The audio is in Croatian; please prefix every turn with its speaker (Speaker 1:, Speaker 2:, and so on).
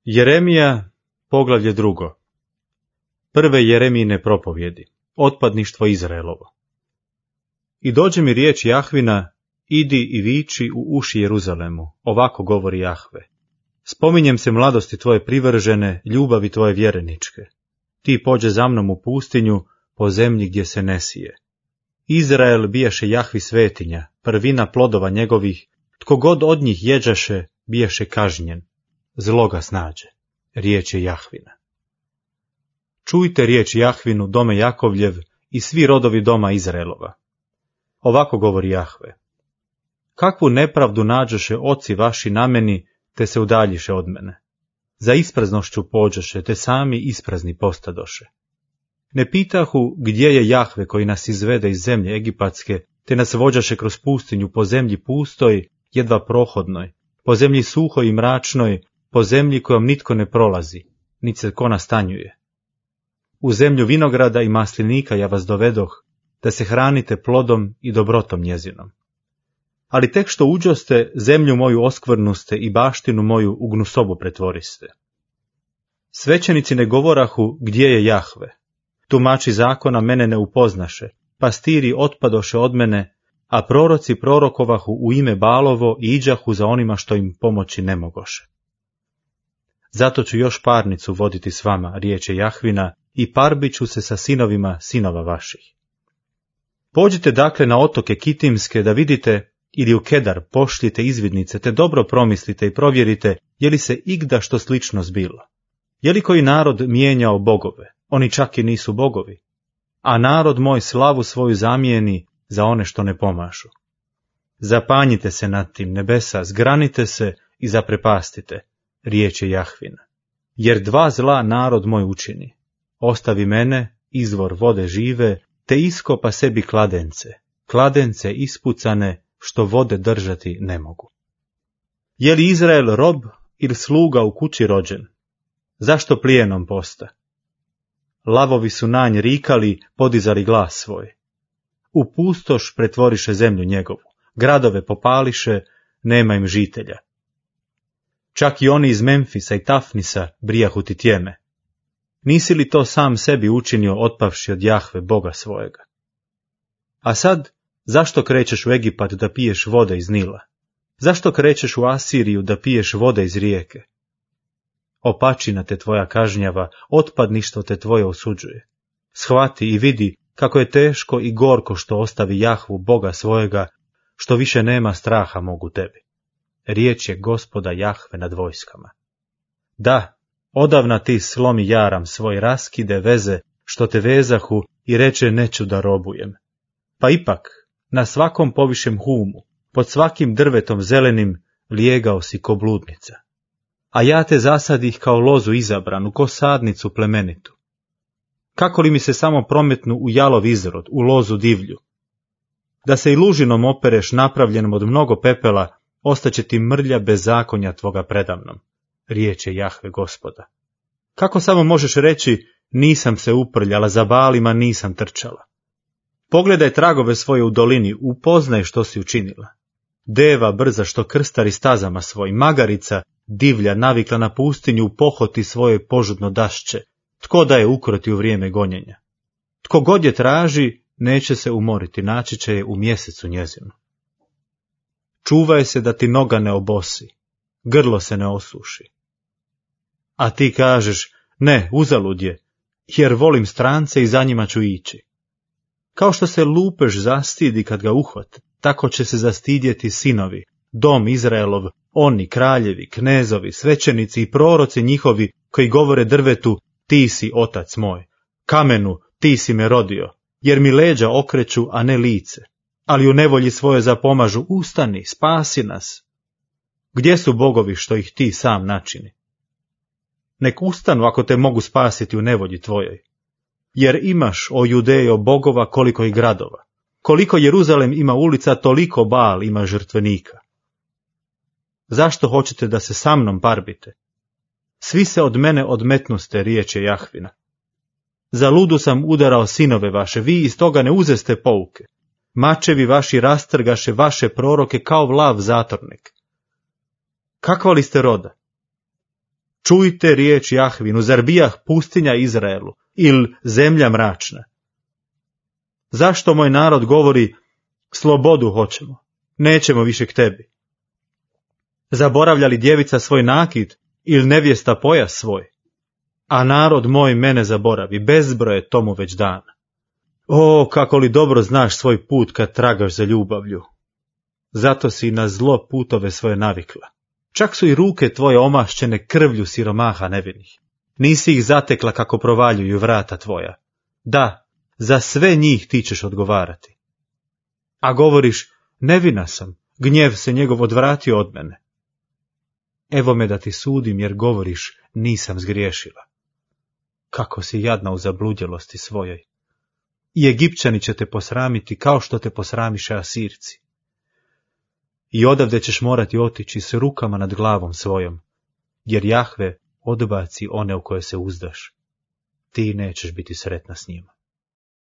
Speaker 1: Jeremija, poglavlje 2. Prve Jeremijine propovjedi, otpadništvo Izraelovo. I dođe mi riječ Jahvina, idi i viči u uši Jeruzalemu, ovako govori Jahve. Spominjem se mladosti tvoje privržene, ljubavi tvoje vjereničke. Ti pođe za mnom u pustinju, po zemlji gdje se ne sije. Izrael bijaše Jahvi svetinja, prvina plodova njegovih, tko god od njih jeđaše, bijaše kažnjen. Zlo ga snađe. Riječ je Jahvina. Čujte riječ Jahvinu, dome Jakovljev, i svi rodovi doma Izraelova. Ovako govori Jahve. Kakvu nepravdu nađoše oci vaši na meni, te se udaljiše od mene. Za ispraznošću pođoše, te sami isprazni postadoše. Ne pitahu gdje je Jahve koji nas izvede iz zemlje egipatske, te nas vođaše kroz pustinju po zemlji pustoj, jedva prohodnoj, po zemlji suhoj i mračnoj, po zemlji kojom nitko ne prolazi, nit se ko nastanjuje. U zemlju vinograda i maslinika ja vas dovedoh, da se hranite plodom i dobrotom njezinom. Ali tek što uđoste, zemlju moju oskvrnuste i baštinu moju u gnusobu pretvoriste. Svećenici ne govorahu gdje je Jahve. Tumači zakona mene ne upoznaše, pastiri otpadoše od mene, a proroci prorokovahu u ime Balovo i iđahu za onima što im pomoći ne mogoše. Zato ću još parnicu voditi s vama, riječ je Jahvina, i parbit ću se sa sinovima sinova vaših. Pođite dakle na otoke Kitimske da vidite, ili u Kedar pošljite izvidnice, te dobro promislite i provjerite, je li se igda što slično zbilo. Je li koji narod mijenjao bogove, oni čak i nisu bogovi, a narod moj slavu svoju zamijeni za one što ne pomažu. Zapanjite se nad tim, nebesa, zgranite se i zaprepastite, riječ je Jahvina. Jer dva zla narod moj učini. Ostavi mene, izvor vode žive, te iskopa sebi kladence ispucane, što vode držati ne mogu. Je li Izrael rob ili sluga u kući rođen? Zašto plijenom posta? Lavovi su na nj rikali, podizali glas svoj. U pustoš pretvoriše zemlju njegovu, gradove popališe, nema im žitelja. Čak i oni iz Memfisa i Tafnisa brijahu ti tjeme. Nisi li to sam sebi učinio otpavši od Jahve, Boga svojega? A sad, zašto krećeš u Egipat da piješ vode iz Nila? Zašto krećeš u Asiriju da piješ vode iz rijeke? Opačina te tvoja kažnjava, otpadništvo te tvoje osuđuje. Shvati i vidi kako je teško i gorko što ostavi Jahvu, Boga svojega, što više nema straha mogu tebi. Riječ je Gospoda Jahve nad vojskama. Da, odavna ti slomi jaram svoj, raskide veze, što te vezahu, i reče neću da robujem. Pa ipak, na svakom povišem humu, pod svakim drvetom zelenim, lijegao si ko bludnica. A ja te zasadih kao lozu izabranu, ko sadnicu plemenitu. Kako li mi se samo prometnu u jalov izrod, u lozu divlju? Da se i lužinom opereš napravljenom od mnogo pepela, ostaće ti mrlja bezakonja tvoga predamnom, riječ je Jahve Gospoda. Kako samo možeš reći, nisam se uprljala, za Baalima nisam trčala? Pogledaj tragove svoje u dolini, upoznaj što si učinila. Deva brza što krstari stazama svoj, magarica divlja navikla na pustinju u pohoti svoje požudno dašće, tko da je ukroti u vrijeme gonjenja? Tko god je traži, neće se umoriti, naći će je u mjesecu njezinu. Čuvaj se da ti noga ne obosi, grlo se ne osuši. A ti kažeš, ne, uzalud je, jer volim strance i za njima ću ići. Kao što se lupež zastidi kad ga uhvate, tako će se zastidjeti sinovi, dom Izraelov, oni kraljevi, knezovi, svećenici i proroci njihovi koji govore drvetu, ti si otac moj, kamenu, ti si me rodio, jer mi leđa okreću, a ne lice, ali u nevolji svoje zapomažu, ustani, spasi nas. Gdje su bogovi što ih ti sam načini? Nek ustanu ako te mogu spasiti u nevolji tvojoj. Jer imaš, o Judejo, bogova koliko i gradova. Koliko Jeruzalem ima ulica, toliko Baal ima žrtvenika. Zašto hoćete da se sa mnom parbite? Svi se od mene odmetnuste, riječ je Jahvina. Za ludu sam udarao sinove vaše, vi iz toga ne uzeste pouke. Mačevi vaši rastrgaše vaše proroke kao vlav zatornik. Kakva li ste roda? Čujte riječ Jahvinu, zar bijah pustinja Izraelu, ili zemlja mračna? Zašto moj narod govori, slobodu hoćemo, nećemo više k tebi? Zaboravlja li djevica svoj nakit, ili nevjesta pojas svoj? A narod moj mene zaboravi, bezbroj je tomu već dana. O, kako li dobro znaš svoj put kad tragaš za ljubavlju. Zato si na zlo putove svoje navikla. Čak su i ruke tvoje omašćene krvlju siromaha nevinih. Nisi ih zatekla kako provaljuju vrata tvoja. Da, za sve njih ti ćeš odgovarati. A govoriš, nevina sam, gnjev se njegov odvratio od mene. Evo me da ti sudim jer govoriš, nisam zgriješila. Kako si jadna u zabludjelosti svojoj. I Egipćani će te posramiti kao što te posramiše Asirci. I odavde ćeš morati otići s rukama nad glavom svojom, jer Jahve odbaci one u koje se uzdaš. Ti nećeš biti sretna s njima.